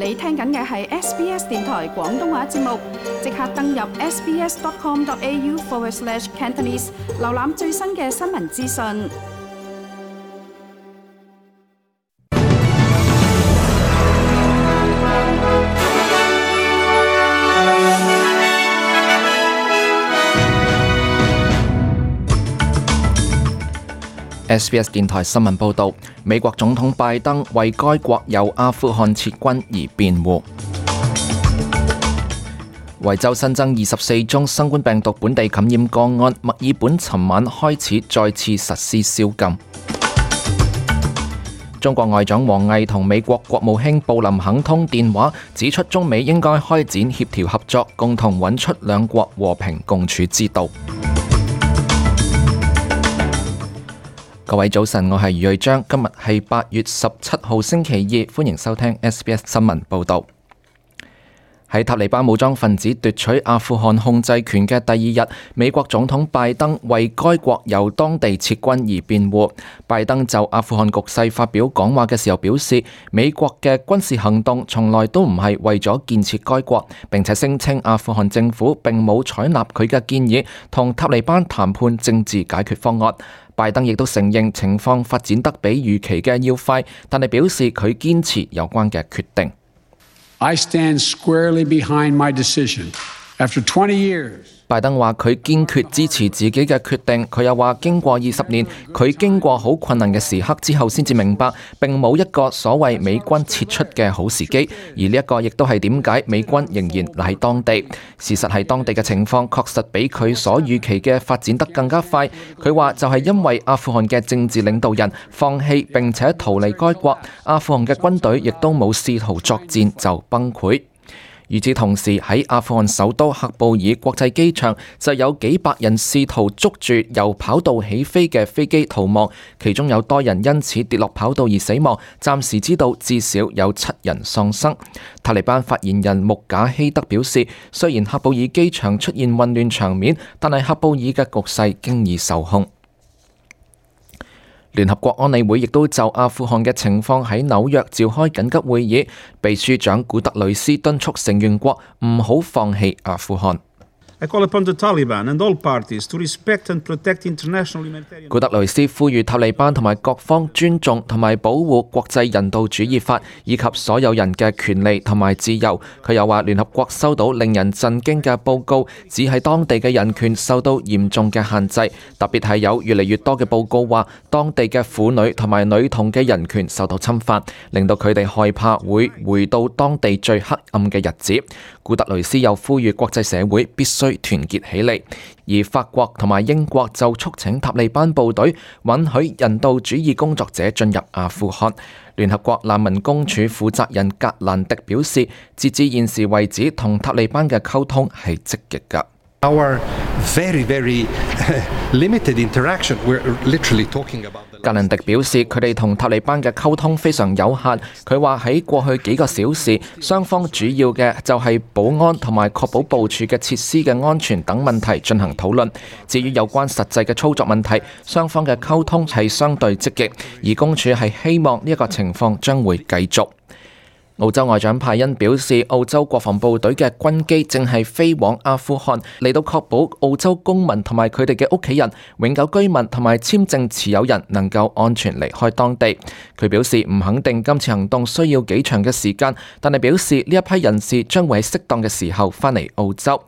你聽緊嘅係 SBS 電台廣東話節目，即刻登入 sbs.com.au/Cantonese 瀏覽最新嘅新聞資訊。SBS 電台新聞報導，美國總統拜登為該國由阿富汗撤軍而辯護。維州新增24宗新冠病毒本地感染個案，墨爾本尋晚開始再次實施宵禁。中國外長王毅同美國國務卿布林肯通電話，指出中美應該開展協調合作，共同揾出兩國和平共處之道。各位早晨，我係余瑞章，今日係8月17號星期二，歡迎收聽 SBS 新聞報道。喺塔利班武裝分子奪取阿富汗控制權嘅第二日，美國總統拜登為該國由當地撤軍而辯護。拜登就阿富汗局勢發表講話嘅時候表示，美國嘅軍事行動從來都唔係為咗建設該國，並且聲稱阿富汗政府並冇採納佢嘅建議，同塔利班談判政治解決方案。拜登亦都承認情況發展得比預期嘅要快，但係表示佢堅持有關嘅決定。I stand squarely behind my decision. After 20 years, 拜登話佢堅決支持自己嘅決定。佢又話經過20年，佢經過好困難嘅時刻之後，先至明白並冇一個所謂美軍撤出嘅好時機。而呢一個亦都係點解美軍仍然喺當地。事實係當地嘅情況確實比佢所預期嘅發展得更加快。佢話就係因為阿富汗嘅政治領導人放棄並且逃離該國，阿富汗嘅軍隊亦都冇試圖作戰就崩潰。與此同時，喺阿富汗首都喀布爾國際機場就有幾百人試圖捉住由跑道起飛嘅飛機逃亡，其中有多人因此跌落跑道而死亡，暫時知道至少有7人喪生。塔利班發言人穆賈希德表示，雖然喀布爾機場出現混亂場面，但係喀布爾嘅局勢經已受控。聯合國安理會亦都就阿富汗嘅情況喺紐約召開緊急會議，秘書長古特雷斯敦促成員國唔好放棄阿富汗。古特雷斯呼籲塔利班同埋各方尊重同埋保護國際人道主義法以及所有人嘅權利同埋自由。佢又話聯合國收到令人震驚嘅報告，指喺當地嘅人權受到嚴重嘅限制，特別係有越嚟越多嘅報告話當地嘅婦女同埋女童嘅人權受到侵犯，令到佢哋害怕會回到當地最黑暗嘅日子。古特雷斯又呼籲國際社會必須團結起嚟，而法國同埋英國就促請塔利班部隊允許人道主義工作者進入阿富汗。聯合國難民公署負責人格蘭迪表示，截至現時為止，同塔利班嘅溝通係積極㗎。格蘭迪表示，佢哋同塔利班嘅溝通非常有限。佢話喺過去幾個小時，雙方主要嘅就係保安同埋確保部署嘅設施嘅安全等問題進行討論。至於有關實際嘅操作問題，雙方嘅溝通係相對積極，而公署係希望呢一個情況將會繼續。澳洲外長派恩表示，澳洲國防部隊嘅軍機正係飛往阿富汗，嚟到確保澳洲公民同埋佢哋嘅屋企人、永久居民同埋簽證持有人能夠安全離開當地。佢表示唔肯定今次行動需要幾長嘅時間，但係表示呢一批人士將會喺適當嘅時候返嚟澳洲。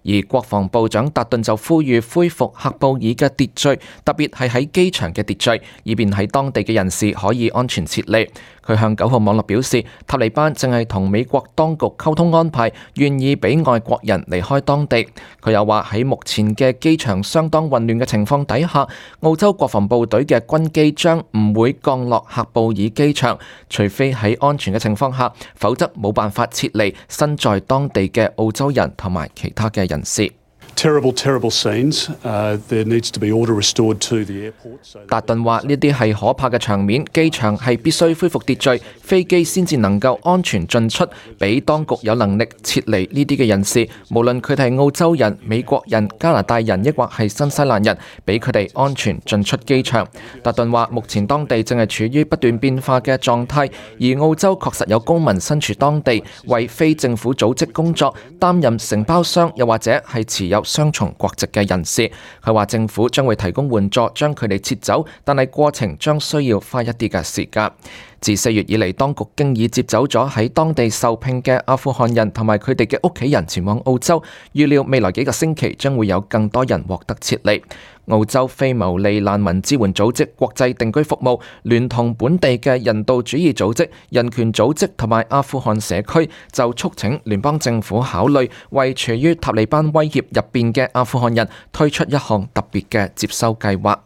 而國防部長達頓就呼籲恢復喀布爾嘅秩序，特別係喺機場嘅秩序，以便喺當地嘅人士可以安全撤離。佢向9號網絡表示，塔利班正係同美國當局溝通安排，願意俾外國人離開當地。佢又話喺目前嘅機場相當混亂嘅情況底下，澳洲國防部隊嘅軍機將唔會降落喀布爾機場，除非喺安全嘅情況下，否則冇辦法撤離身在當地嘅澳洲人同埋其他嘅人士。Terrible scenes. There needs to be order restored to the airport. 達頓話：呢啲係可怕嘅場面，機場係必須恢復秩序，飛機先至能夠安全進出，俾當局有能力撤離呢啲嘅人士，無論佢哋係澳洲人、美國人、加拿大人，抑或係新西蘭人，俾佢哋安全進出機場。達頓話：目前當地正係處於不斷變化嘅狀態，而澳洲確實有公民身處當地，為非政府組織工作，擔任承包商，又或者係持有雙重國籍嘅人士。佢話政府將會提供援助，將佢哋撤走，但係過程將需要花一啲嘅時間。自4月以嚟，當局經已接走咗喺當地受聘嘅阿富汗人同埋佢哋嘅屋企人前往澳洲，預料未來幾個星期將會有更多人獲得撤離。澳洲非牟利難民支援組織國際定居服務聯同本地嘅人道主義組織、人權組織同埋阿富汗社區就促請聯邦政府考慮為處於塔利班威脅入邊嘅阿富汗人推出一項特別嘅接收計劃。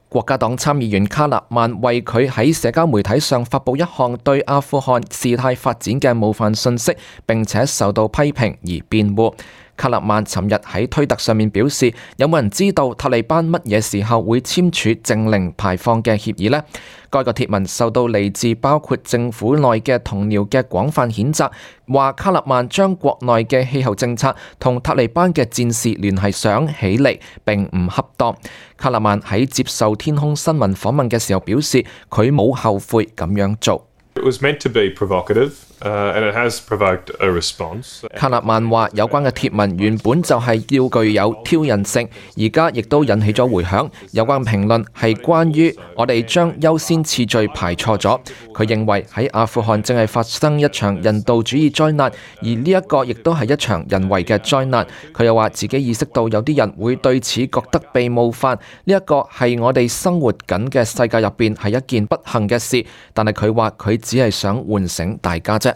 國家黨參議員卡納曼為佢喺社交媒體上發佈一項對阿富汗事態發展嘅冒犯信息，並且受到批評而辯護。卡納曼尋日喺推特上面表示：有冇人知道塔利班乜嘢時候會簽署淨零排放嘅協議呢？該個貼文受到嚟自包括政府內嘅同僚嘅廣泛譴責，話卡納曼將國內嘅氣候政策同塔利班嘅戰事聯繫上起嚟並唔恰當。卡納曼喺接受天空新聞訪問嘅時候表示，佢冇後悔咁樣做。It was meant to be provocative, and it has provoked a response. 卡納曼話：有關嘅貼文原本就係要具有挑釁性，而家亦都引起咗迴響。有關評論係關於我哋將優先次序排錯咗。佢認為喺阿富汗正係發生一場人道主義災難，而呢一個亦都係一場人為嘅災難。佢又話自己意識到有啲人會對此覺得被冒犯，呢一個係我哋生活緊嘅世界入邊係一件不幸嘅事。但係佢話佢只係想喚醒大家啫。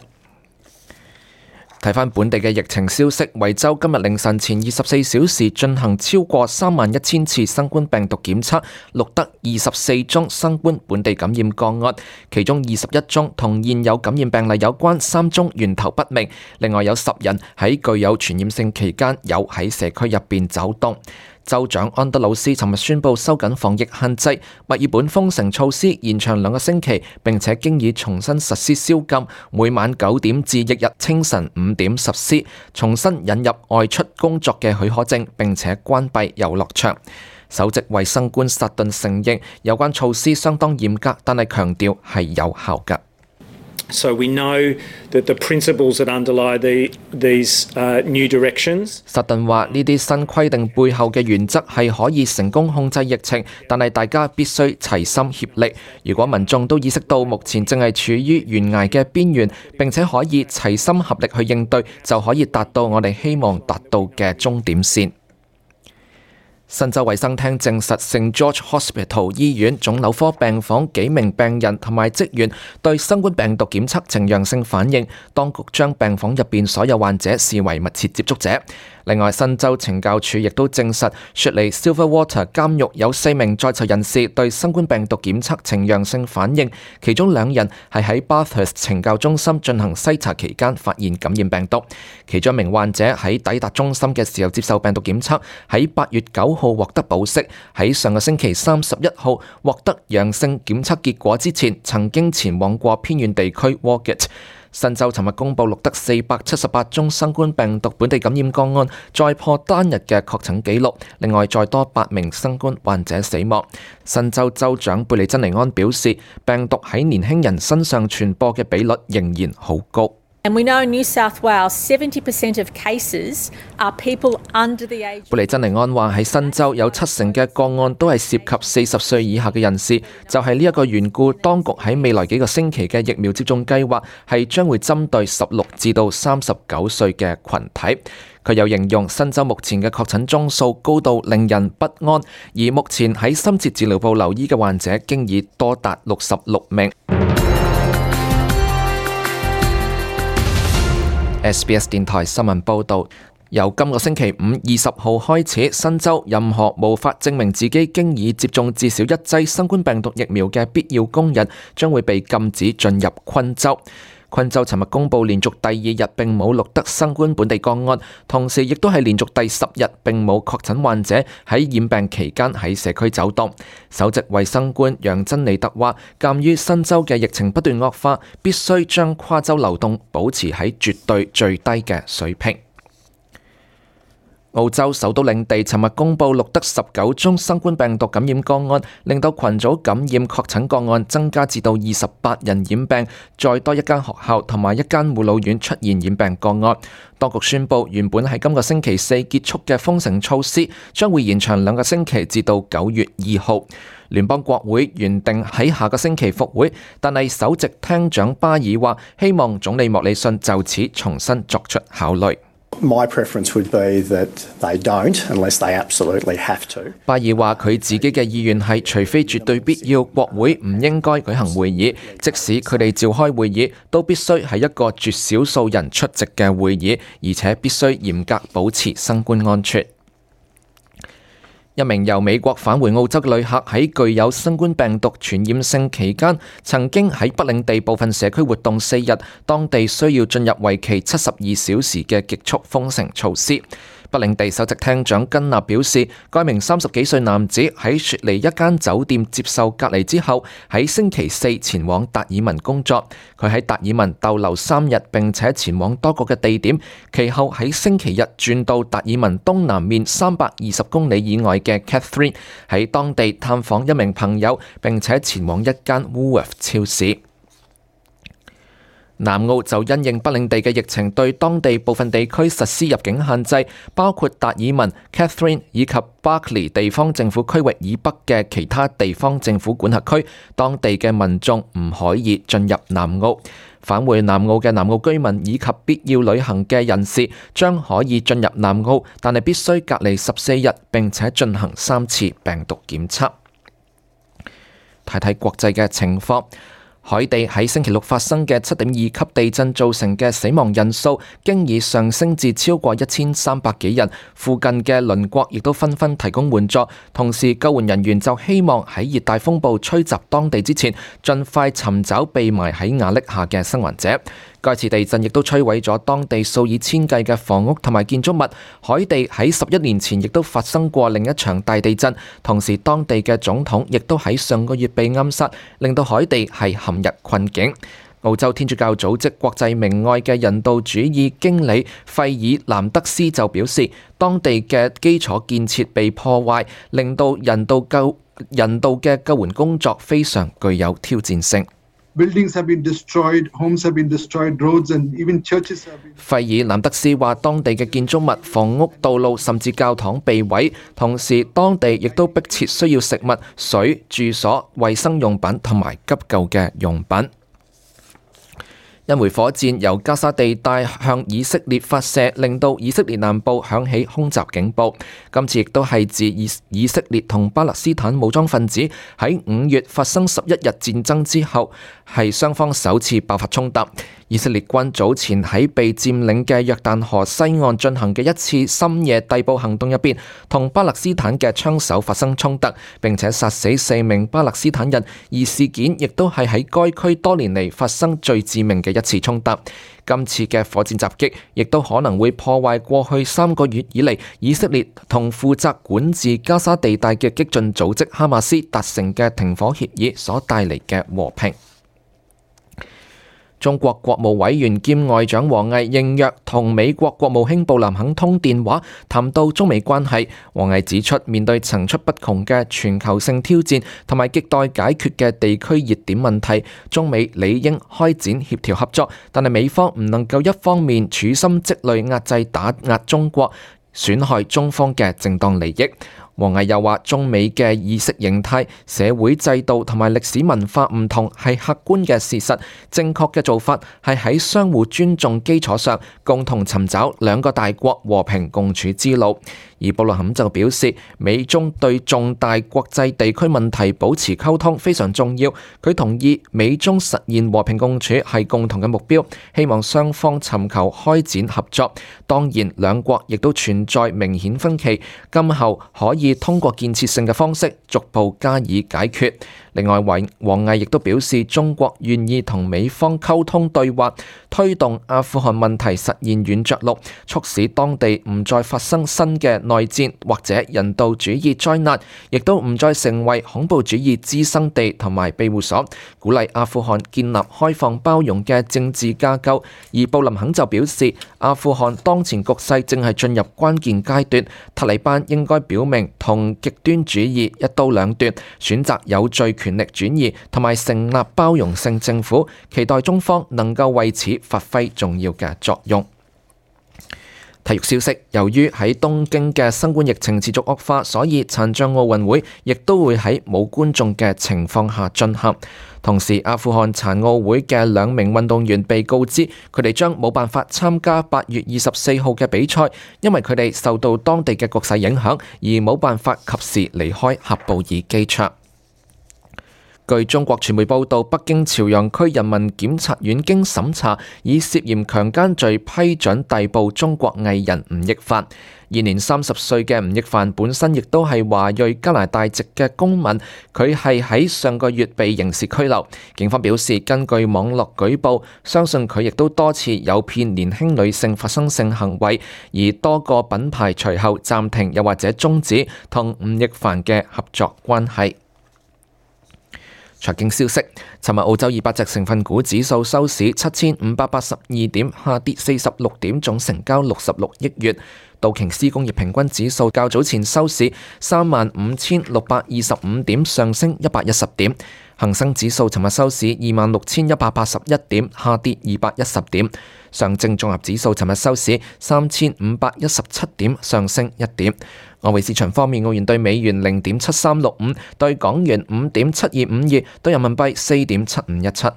睇返本地嘅疫情消息，維州今日凌晨前24小時進行超過31000次新冠病毒檢測，錄得24宗新冠本地感染個案，其中21宗同現有感染病例有關，3宗源頭不明。另外有10人喺具有傳染性期間有喺社區入邊走動。州長安德魯斯尋日宣布收緊防疫限制，墨爾本封城措施延長2個星期，並且經已重新實施宵禁，每晚9點至翌日清晨5點實施，重新引入外出工作嘅許可證，並且關閉遊樂場。首席衛生官薩頓承認有關措施相當嚴格，但係強調係有效㗎。So we know that the principles that underlie these new directions. 薩頓話：呢啲新規定背後嘅原則係可以成功控制疫情，但係大家必須齊心協力。如果民眾都意識到目前正係處於懸崖嘅邊緣，並且可以齊心合力去應對，就可以達到我哋希望達到嘅終點線。新州衛生廳證實，聖 George Hospital 醫院腫瘤科病房幾名病人同埋職員對新冠病毒檢測呈陽性反應，當局將病房入邊所有患者視為密切接觸者。另外，新州懲教署亦都證實，雪梨 Silverwater 監獄有4名在囚人士對新冠病毒檢測呈陽性反應，其中2人係喺 Bathurst 懲教中心進行篩查期間發現感染病毒。其中一名患者喺抵達中心嘅時候接受病毒檢測，喺8月9號獲得保釋，喺上個星期31號獲得陽性檢測結果之前，曾經前往過偏遠地區 Walgett。新州尋日公布錄得478宗新冠病毒本地感染個案，再破單日嘅確診紀錄。另外再多8名新冠患者死亡。新州州長貝利珍尼安表示，病毒喺年輕人身上傳播嘅比率仍然好高。And we know in New South Wales 70% of cases are people under the age. 貝利珍尼安話喺新州有70%嘅個案都係涉及40歲以下嘅人士，就係呢一個緣故，當局喺未來幾個星期嘅疫苗接種計劃係將會針對16至到39歲嘅群體。佢又形容新州目前嘅確診宗數高到令人不安，而目前喺深切治療部留醫嘅患者經已多達66名。SBS 電台新聞報導，由今個星期5 20號開始，新州任何無法證明自己經已接種至少1劑新冠病毒疫苗嘅必要工人將會被禁止進入昆州。昆州尋日公佈連續第2日並冇錄得新冠本地個案，同時亦都係連續第10日並冇確診患者喺染病期間喺社區走動。首席衛生官楊珍妮特話，鑑於新州嘅疫情不斷惡化，必須將跨州流動保持喺絕對最低嘅水平。澳洲首都領地尋日公佈錄得19宗新冠病毒感染個案，令到群組感染確診個案增加至到28人染病，再多一間學校同埋一間護老院出現染病個案。當局宣布，原本喺今個星期4結束嘅封城措施將會延長2個星期至到9月2號。聯邦國會原定喺下個星期復會，但係首席廳長巴爾話，希望總理莫里遜就此重新作出考慮。My preference would be that they don't, unless they absolutely have to. 巴爾話佢自己嘅意願係，除非絕對必要，國會唔應該舉行會議，即使佢哋召開會議，都必須係一個絕少數人出席嘅會議，而且必須嚴格保持新冠安全。一名由美國返回澳洲嘅旅客喺具有新冠病毒傳染性期間，曾經喺北領地部分社區活動4日，當地需要進入為期72小時嘅極速封城措施。北領地首席廳長根納表示，該名30幾歲男子喺雪梨一間酒店接受隔離之後，喺星期4前往達爾文工作。佢喺達爾文逗留3日，並且前往多個嘅地點，其後喺星期日轉到達爾文東南面320公里以外嘅 Catherine， 喺當地探訪一名朋友，並且前往一間 Woolworth 超市。南澳就因應北領地嘅疫情，對當地部分地區實施入境限制，包括達爾文、Catherine 以及 Barkly 地方政府區域以北嘅其他地方政府管轄區，當地嘅民眾唔可以進入南澳。返回南澳嘅南澳居民以及必要旅行嘅人士將可以進入南澳，但係必須隔離14日，並且進行3次病毒檢測。睇睇國際嘅情況。海地喺星期六發生嘅7.2級地震造成嘅死亡人數經已上升至超過1300幾人，附近嘅鄰國亦都紛紛提供援助，同時救援人員就希望喺熱帶風暴吹襲當地之前，盡快尋找被埋喺瓦礫下嘅生還者。該次地震亦都摧毀咗當地數以千計嘅房屋同埋建築物。海地喺11年前亦都發生過另一場大地震，同時當地嘅總統亦都喺上個月被暗殺，令到海地係陷入困境。澳洲天主教組織國際明愛嘅人道主義經理費爾南德斯就表示，當地嘅基礎建設被破壞，令到人道嘅救援工作非常具有挑戰性。Buildings have been destroyed, homes have been destroyed, roads and even churches have been. 費爾南德斯話，當地嘅建築物、房屋、道路甚至教堂被毀，同時當地亦都迫切需要食物、水、住所、衛生用品同埋急救嘅用品。一枚火箭由加沙地帶向以色列發射，令到以色列南部響起空襲警報。今次亦都係自以色列同巴勒斯坦武裝分子喺5月發生11日戰爭之後，係雙方首次爆發衝突。以色列軍早前喺被佔領嘅約旦河西岸進行嘅一次深夜逮捕行動入邊，同巴勒斯坦嘅槍手發生衝突，並且殺死4名巴勒斯坦人，而事件亦都係喺該區多年嚟發生最致命嘅一次衝突。今次嘅火箭襲擊亦都可能會破壞過去3個月以嚟以色列同負責管治加沙地帶嘅激進組織哈馬斯達成嘅停火協議所帶嚟嘅和平。中國國務委員兼外長王毅應約同美國國務卿布林肯通電話，談到中美關係。王毅指出，面對層出不窮嘅全球性挑戰同埋亟待解決嘅地區熱點問題，中美理應開展協調合作，但係美方唔能夠一方面處心積慮壓制打壓中國，損害中方嘅正當利益。王毅又話，中美嘅意識形態、社會制度同埋歷史文化唔同係客觀嘅事實，正確嘅做法係喺相互尊重基礎上，共同尋找兩個大國和平共處之路。而布林肯就表示，美中對重大國際地區問題保持溝通非常重要。佢同意美中實現和平共處係共同嘅目標，希望雙方尋求開展合作。當然，兩國亦都存在明顯分歧，今後可以通過建設性嘅方式逐步加以解決。另外，王毅亦都表示，中國願意同美方溝通對話，推動阿富汗問題實現軟着陸，促使當地唔再發生新嘅內戰或者人道主義災難，亦都唔再成為恐怖主義滋生地同埋庇護所，鼓勵阿富汗建立開放包容嘅政治架構。而布林肯就表示，阿富汗當前局勢正係進入關鍵階段，塔利班應該表明同極端主義一刀兩斷，選擇有序權力轉移同埋成立包容性政府，期待中方能夠為此發揮重要嘅作用。體育消息，由於喺東京嘅新冠疫情持續惡化，所以殘障奧運會亦都會喺冇觀眾嘅情況下進行。同時，阿富汗殘奧會嘅2名運動員被告知，佢哋將冇辦法參加8月24號嘅比賽，因為佢哋受到當地嘅局勢影響，而冇辦法及時離開喀布爾機場。據中國傳媒報道，北京朝陽區人民檢察院經審查，以涉嫌強姦罪批准逮捕中國藝人吳亦凡。現年30歲嘅吳亦凡本身亦都係華裔加拿大籍嘅公民，佢係喺上個月被刑事拘留。警方表示，根據網絡舉報，相信佢亦都多次誘騙年輕女性發生性行為，而多個品牌隨後暫停又或者終止同吳亦凡嘅合作關係。財經消息，尋日澳洲200隻成分股指數收市7582點，下跌46點，總成交66億元。道瓊斯工業平均指數較早前收市35625點，上升110點。恒生指數尋日收市26181點，下跌210點。上證綜合指數尋日收市3517點，上升1點。外匯市場方面，澳元對美元0.7365，對港元5.7252，對人民幣4.7517。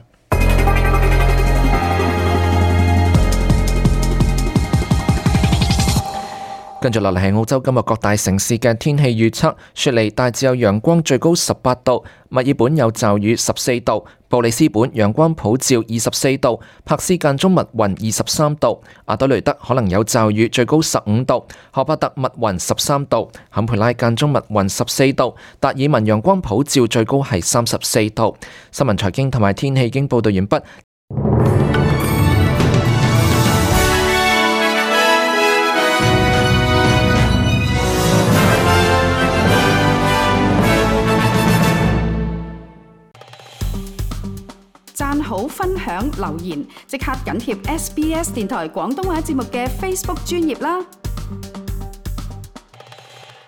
跟住落嚟係澳洲今日各大城市嘅天氣預測：雪梨大致有陽光，最高18度；墨爾本有驟雨14度；布里斯本陽光普照24度；柏斯間中密雲23度；阿德雷德可能有驟雨，最高15度；荷巴特密雲13度；坎培拉間中密雲14度；達爾文陽光普照，最高係34度。新聞財經同埋天氣已經報道完畢。讚好、分享、留言，即刻緊貼SBS 電台廣東話節目嘅 Facebook 專頁啦！